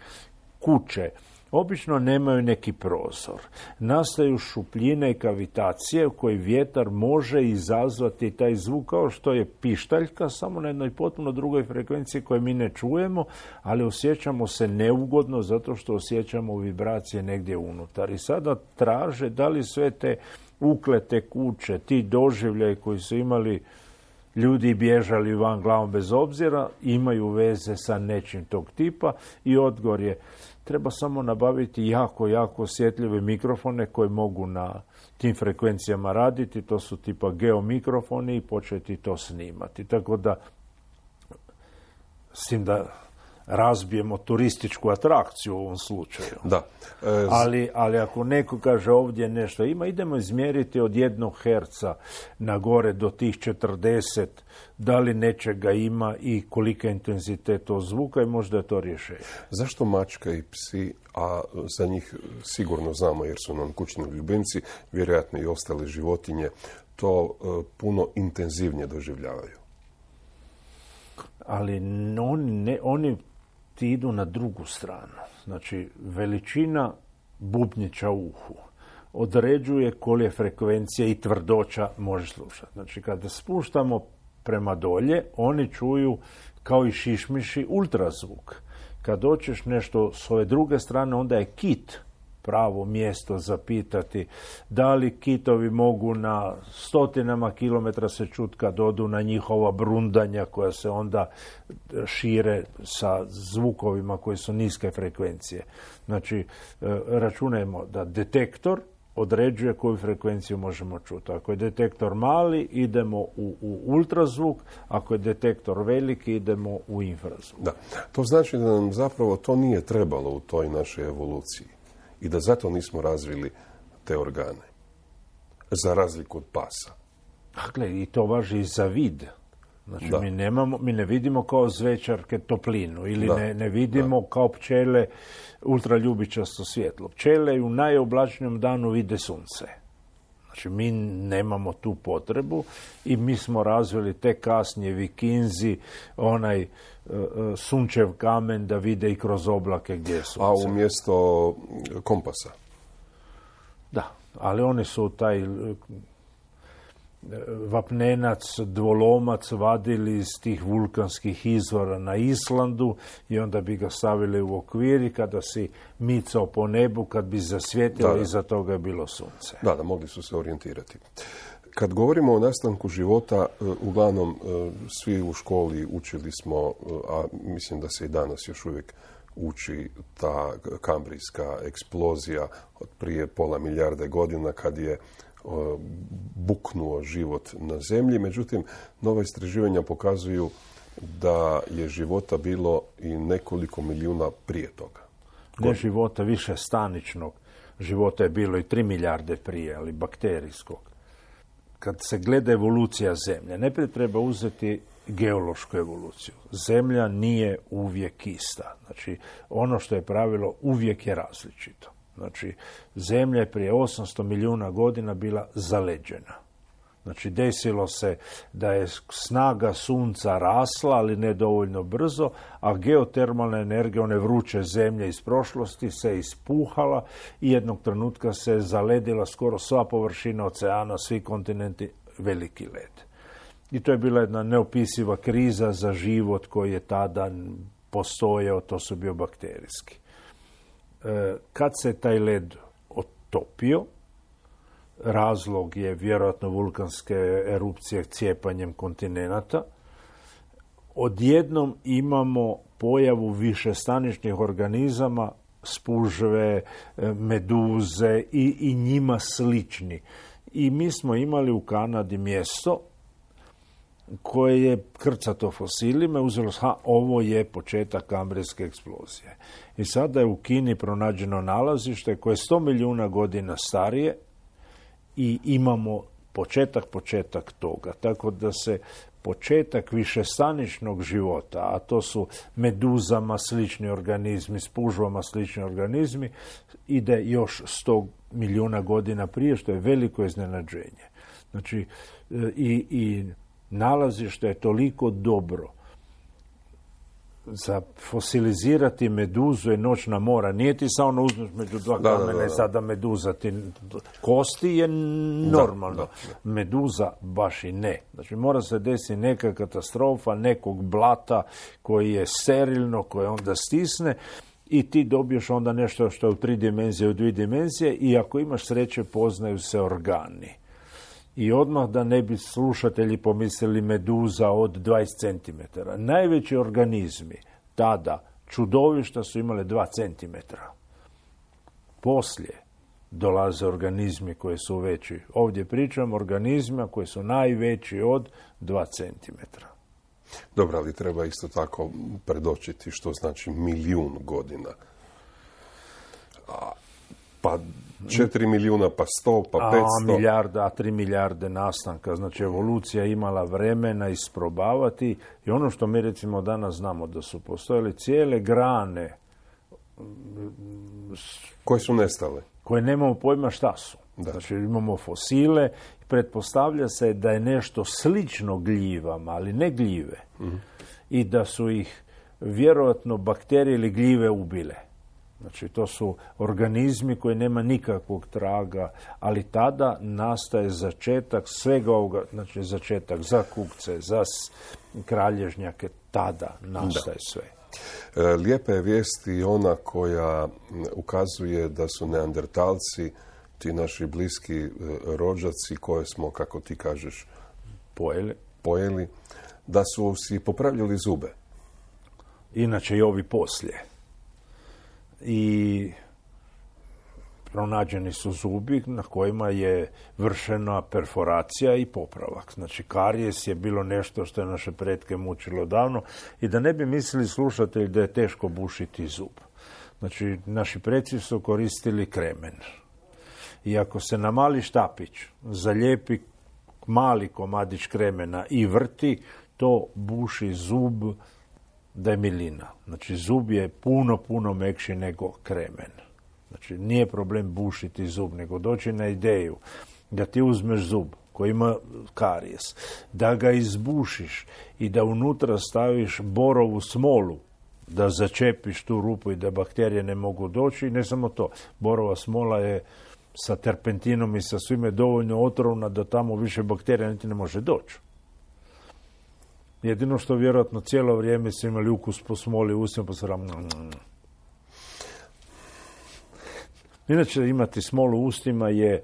kuće, obično nemaju neki prozor. Nastaju šupljine i kavitacije u koji vjetar može izazvati taj zvuk kao što je pištaljka, samo na jednoj potpuno drugoj frekvenciji koje mi ne čujemo, ali osjećamo se neugodno zato što osjećamo vibracije negdje unutar. I sada traže da li sve te uklete kuće, ti doživljaji koji su imali ljudi bježali van glavom bez obzira, imaju veze sa nečim tog tipa i odgovor je treba samo nabaviti jako, jako osjetljive mikrofone koji mogu na tim frekvencijama raditi, to su tipa geomikrofoni i početi to snimati. Tako da, s tim da razbijemo turističku atrakciju u ovom slučaju. Da. E, z... ali, ali ako neko kaže ovdje nešto ima, idemo izmjeriti od jednog herca na gore do tih četrdeset, da li nečega ima i kolika je intenzitet tog zvuka i možda je to rješenje. Zašto mačka i psi, a za njih sigurno znamo jer su nam kućni ljubimci, vjerojatno i ostale životinje, to uh, puno intenzivnije doživljavaju? Ali oni, ne, oni ti idu na drugu stranu. Znači, veličina bubnjića u uhu određuje kolje frekvencije i tvrdoća može slušati. Znači, kada spuštamo prema dolje, oni čuju kao i šišmiši ultrazvuk. Kad doćeš nešto s ove druge strane, onda je kit pravo mjesto zapitati da li kitovi mogu na stotinama kilometra se čuti kad odu na njihova brundanja koja se onda šire sa zvukovima koji su niske frekvencije. Znači, računajmo da detektor određuje koju frekvenciju možemo čuti. Ako je detektor mali, idemo u, u ultrazvuk, ako je detektor veliki, idemo u infrazvuk. Da. To znači da nam zapravo to nije trebalo u toj našoj evoluciji. I da zato nismo razvili te organe. Za razliku od pasa. Dakle, i to važi i za vid. Znači, da. mi, nemamo, mi ne vidimo kao zvečarke toplinu ili da. ne, ne vidimo da. kao pčele ultraljubičasto svjetlo. Pčele u najoblačnijem danu vide sunce. Znači, mi nemamo tu potrebu i mi smo razvili te kasnije Vikinzi, onaj uh, sunčev kamen da vide i kroz oblake gdje je sunce. A umjesto kompasa? Da, ali oni su taj vapnenac, dvolomac vadili iz tih vulkanskih izvora na Islandu i onda bi ga stavili u okvir i kada si micao po nebu, kad bi zasvjetilo, iza toga je bilo sunce. Da, da, mogli su se orijentirati. Kad govorimo o nastanku života, uglavnom svi u školi učili smo, a mislim da se i danas još uvijek uči ta kambrijska eksplozija od prije pola milijarde godina kad je buknuo život na zemlji. Međutim, nova istraživanja pokazuju da je života bilo i nekoliko milijuna prije toga. Ne života više staničnog. Života je bilo i tri milijarde prije, ali bakterijskog. Kad se gleda evolucija zemlje, najprije treba uzeti geološku evoluciju. Zemlja nije uvijek ista. Znači, ono što je pravilo uvijek je različito. Znači, zemlja je prije osamsto milijuna godina bila zaleđena. Znači, desilo se da je snaga sunca rasla, ali ne dovoljno brzo, a geotermalna energija, one vruće zemlje iz prošlosti, se ispuhala i jednog trenutka se zaledila skoro sva površina oceana, svi kontinenti, veliki led. I to je bila jedna neopisiva kriza za život koji je tada postojao, to su bio bakterijski. Kad se taj led otopio, razlog je vjerojatno vulkanske erupcije cijepanjem kontinenata, odjednom imamo pojavu višestaničnih organizama, spužve, meduze i, i njima slični. I mi smo imali u Kanadi mjesto koje je krcato fosilima, uzelo se, ha, ovo je početak kambrijske eksplozije. I sada je u Kini pronađeno nalazište koje je sto milijuna godina starije i imamo početak, početak toga. Tako da se početak višestaničnog života, a to su meduzama slični organizmi, spužvama slični organizmi, ide još sto milijuna godina prije, što je veliko iznenađenje. Znači, i, i nalazište je toliko dobro za fosilizirati meduzu je noćna mora. Nije ti samo uzmeš među dva da, kamena da, da, i sada meduza ti kosti je normalno. Da, da, da. Meduza baš i ne. Znači mora se desiti neka katastrofa, nekog blata koji je sterilno, koje onda stisne i ti dobiješ onda nešto što je u tri dimenzije, u dvije dimenzije i ako imaš sreće poznaju se organi. I odmah da ne bi slušatelji pomislili meduza od dvadeset centimetara. Najveći organizmi tada, čudovišta, su imale dva centimetra. Poslije dolaze organizmi koji su veći. Ovdje pričam o organizmima koji su najveći od dva centimetra. Dobro, ali treba isto tako predočiti što znači milijun godina. A, pa četiri milijuna, pa sto, pa petsto. A milijarda, a tri milijarde nastanka. Znači, evolucija imala vremena isprobavati i ono što mi recimo danas znamo da su postojale cijele grane koje su nestale. Koje nemamo pojma šta su. Da. Znači, imamo fosile i pretpostavlja se da je nešto slično gljivama, ali ne gljive. Mm-hmm. I da su ih vjerojatno bakterije ili gljive ubile. Znači, to su organizmi koji nema nikakvog traga, ali tada nastaje začetak svega ovoga, znači začetak za kukce, za kralježnjake, tada nastaje da. sve. Lijepa je vijest i ona koja ukazuje da su neandertalci, ti naši bliski rođaci koje smo, kako ti kažeš, pojeli, pojeli da su si popravljali zube. Inače i ovi poslije. I pronađeni su zubi na kojima je vršena perforacija i popravak. Znači, karijes je bilo nešto što je naše pretke mučilo davno i da ne bi mislili slušatelji da je teško bušiti zub. Znači, naši preci su koristili kremen. I ako se na mali štapić zalijepi mali komadić kremena i vrti, to buši zub da je milina. Znači, zub je puno, puno mekši nego kremen. Znači, nije problem bušiti zub, nego doći na ideju da ti uzmeš zub koji ima karijes, da ga izbušiš i da unutra staviš borovu smolu, da začepiš tu rupu i da bakterije ne mogu doći. I ne samo to, borova smola je sa terpentinom i sa svime dovoljno otrovna da tamo više bakterija niti ne može doći. Jedino što vjerojatno cijelo vrijeme su imali ukus po smoli u ustima, pa se ram... Inače, imati smolu u ustima je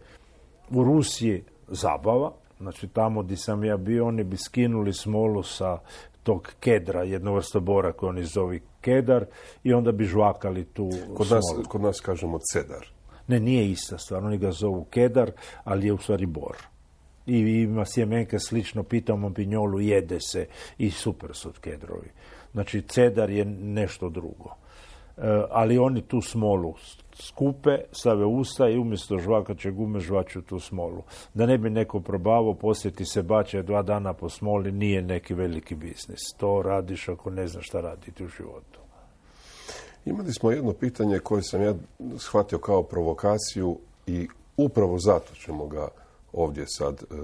u Rusiji zabava. Znači, tamo gdje sam ja bio, oni bi skinuli smolu sa tog kedra, jednu vrstu bora koju oni zovi kedar, i onda bi žvakali tu kod nas, smolu. Kod nas kažemo cedar. Ne, nije ista stvar. Oni ga zovu kedar, ali je u stvari bor. I ima sjemenke slično, pitamo pinjolu, jede se i super su kedrovi. Znači, cedar je nešto drugo. E, ali oni tu smolu skupe, stave usta i umjesto žvakaće gume žvaču tu smolu. Da ne bi neko probavao, poslije ti se bače dva dana po smoli, nije neki veliki biznis. To radiš ako ne znaš šta raditi u životu. Imali smo jedno pitanje koje sam ja shvatio kao provokaciju i upravo zato ćemo ga ovdje sad e,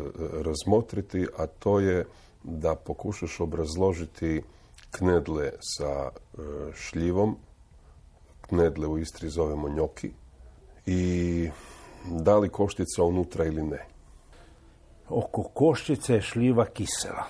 razmotriti, a to je da pokušaš obrazložiti knedle sa e, šljivom. Knedle u Istri zovemo njoki. I da li koštica unutra ili ne? Oko koščice je šljiva kisela.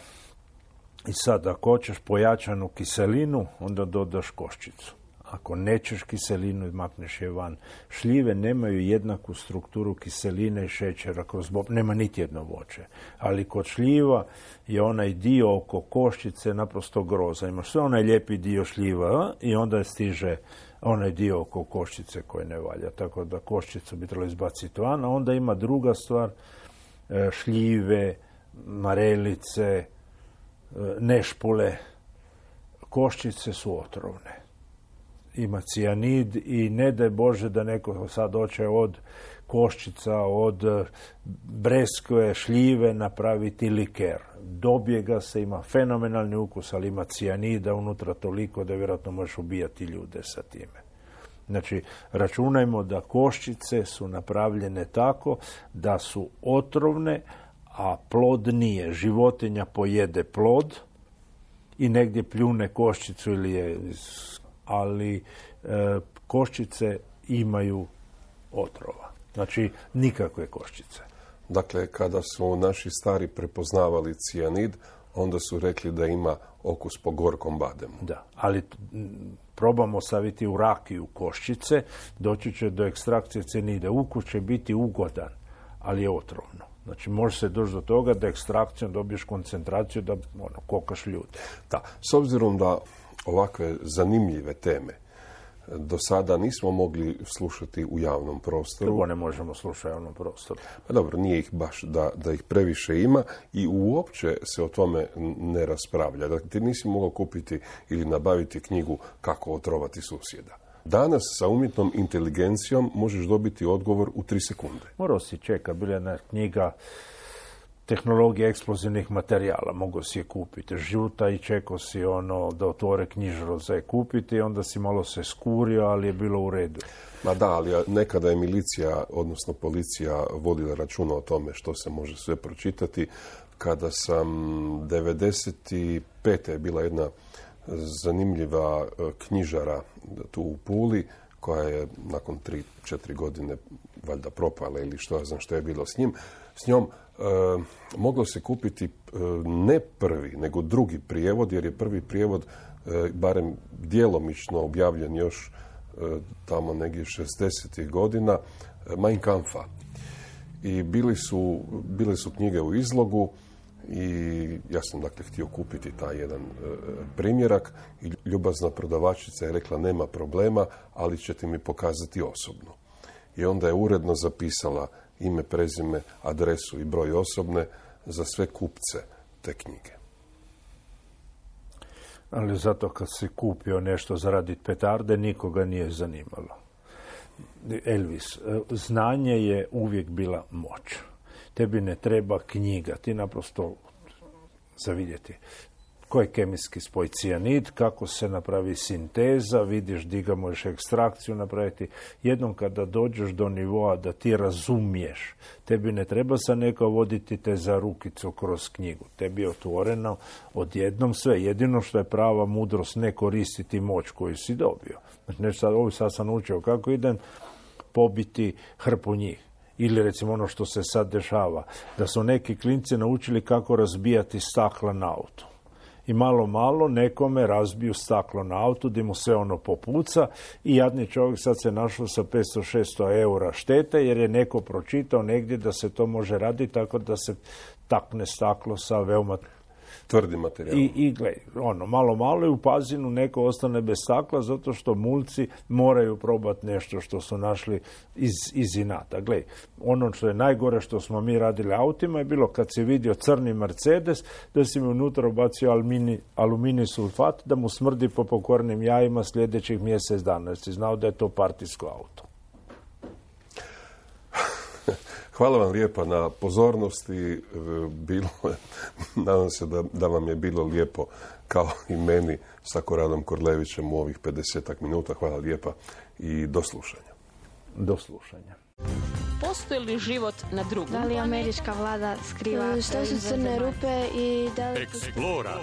I sad, ako hoćeš pojačanu kiselinu, onda dodaš koščicu. Ako nećeš kiselinu, makneš je van. Šljive nemaju jednaku strukturu kiseline i šećera kroz bob. Nema niti jedno voće. Ali kod šljiva je onaj dio oko koščice naprosto groza. Imaš sve onaj lijepi dio šljiva i onda stiže onaj dio oko koščice koji ne valja. Tako da koščicu bi trebalo izbaciti van. A onda ima druga stvar, šljive, marelice, nešpule. Koščice su otrovne. Ima cijanid i ne daj Bože da neko sad hoće od koščica, od breskve, šljive napraviti liker. Dobije ga se, ima fenomenalni ukus, ali ima cijanida unutra toliko da vjerojatno možeš ubijati ljude sa time. Znači, računajmo da koščice su napravljene tako da su otrovne, a plod nije. Životinja pojede plod i negdje pljune koščicu ili je... ali e, koščice imaju otrova. Znači, nikakve koščice. Dakle, kada su naši stari prepoznavali cijanid, onda su rekli da ima okus po gorkom bademu. Da, ali probamo staviti u rakiju koščice, doći će do ekstrakcije cijanida. Ukus će biti ugodan, ali je otrovno. Znači, može se doći do toga da ekstrakcijom dobiješ koncentraciju da ono, kokaš ljude. Da, s obzirom da ovakve zanimljive teme do sada nismo mogli slušati u javnom prostoru. Drugo ne možemo slušati u javnom prostoru. Pa dobro, nije ih baš da, da ih previše ima i uopće se o tome ne raspravlja. Dakle, ti nisi mogao kupiti ili nabaviti knjigu Kako otrovati susjeda. Danas sa umjetnom inteligencijom možeš dobiti odgovor u tri sekunde. Morao si čekati, bila jedna knjiga Tehnologija eksplozivnih materijala, mogu si je kupiti žuta i čekao si ono da otvore knjižaru za je kupiti, onda si malo se skurio, ali je bilo u redu. Ma da, ali nekada je milicija, odnosno policija, vodila računa o tome što se može sve pročitati. Kada sam devedeset pete je bila jedna zanimljiva knjižara tu u Puli, koja je nakon tri četiri godine valjda propala ili što ja znam što je bilo s njim. S njom e, moglo se kupiti e, ne prvi, nego drugi prijevod, jer je prvi prijevod e, barem djelomično objavljen još e, tamo negdje šezdesetih godina, e, Mein Kampfa. I bili su, bile su knjige u izlogu i ja sam dakle htio kupiti taj jedan e, primjerak i ljubazna prodavačica je rekla nema problema, ali ćete mi pokazati osobno. I onda je uredno zapisala ime, prezime, adresu i broj osobne za sve kupce te knjige. Ali zato kad si kupio nešto za radit petarde, nikoga nije zanimalo. Elvis, znanje je uvijek bila moć. Tebi ne treba knjiga, ti naprosto za vidjeti. koji je kemijski spoj cijanid, kako se napravi sinteza, vidiš di ga možeš ekstrakciju napraviti. Jednom kada dođeš do nivoa da ti razumiješ, tebi ne treba sa neko voditi te za rukicu kroz knjigu. Tebi je otvoreno odjednom sve. Jedino što je prava mudrost ne koristiti moć koju si dobio. Znači, nešto sad, ovo sad sam učio kako idem pobiti hrpu njih. Ili recimo ono što se sad dešava, da su neki klinci naučili kako razbijati stakla na auto. I malo, malo nekome razbiju staklo na autu, gdje mu sve ono popuca i jadni čovjek sad se našao sa petsto šesto eura štete, jer je neko pročitao negdje da se to može raditi tako da se takne staklo sa veoma tvrdi materijal. I, i gledaj, ono, malo, malo i u Pazinu neko ostane bez stakla zato što mulci moraju probati nešto što su našli iz, iz inata. Gledaj, ono što je najgore što smo mi radili autima je bilo kad si vidio crni Mercedes, da si mi unutra ubacio alumini, alumini sulfat, da mu smrdi po pokvarnim jajima sljedećih mjesec dana, jer si znao da je to partijsko auto. Hvala vam lijepa na pozornosti. Bilo je, nadam se da, da vam je bilo lijepo kao i meni sa Koradom Korlevićem u ovih pedesetak minuta. Hvala lijepa i do slušanja. Do slušanja. Postoji li život na drugom? Da li američka vlada skriva Što su crne rupe i da li... Eksplora.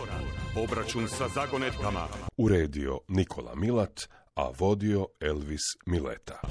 Obračun sa zagonetkama. Uredio Nikola Milat, a vodio Elvis Mileta.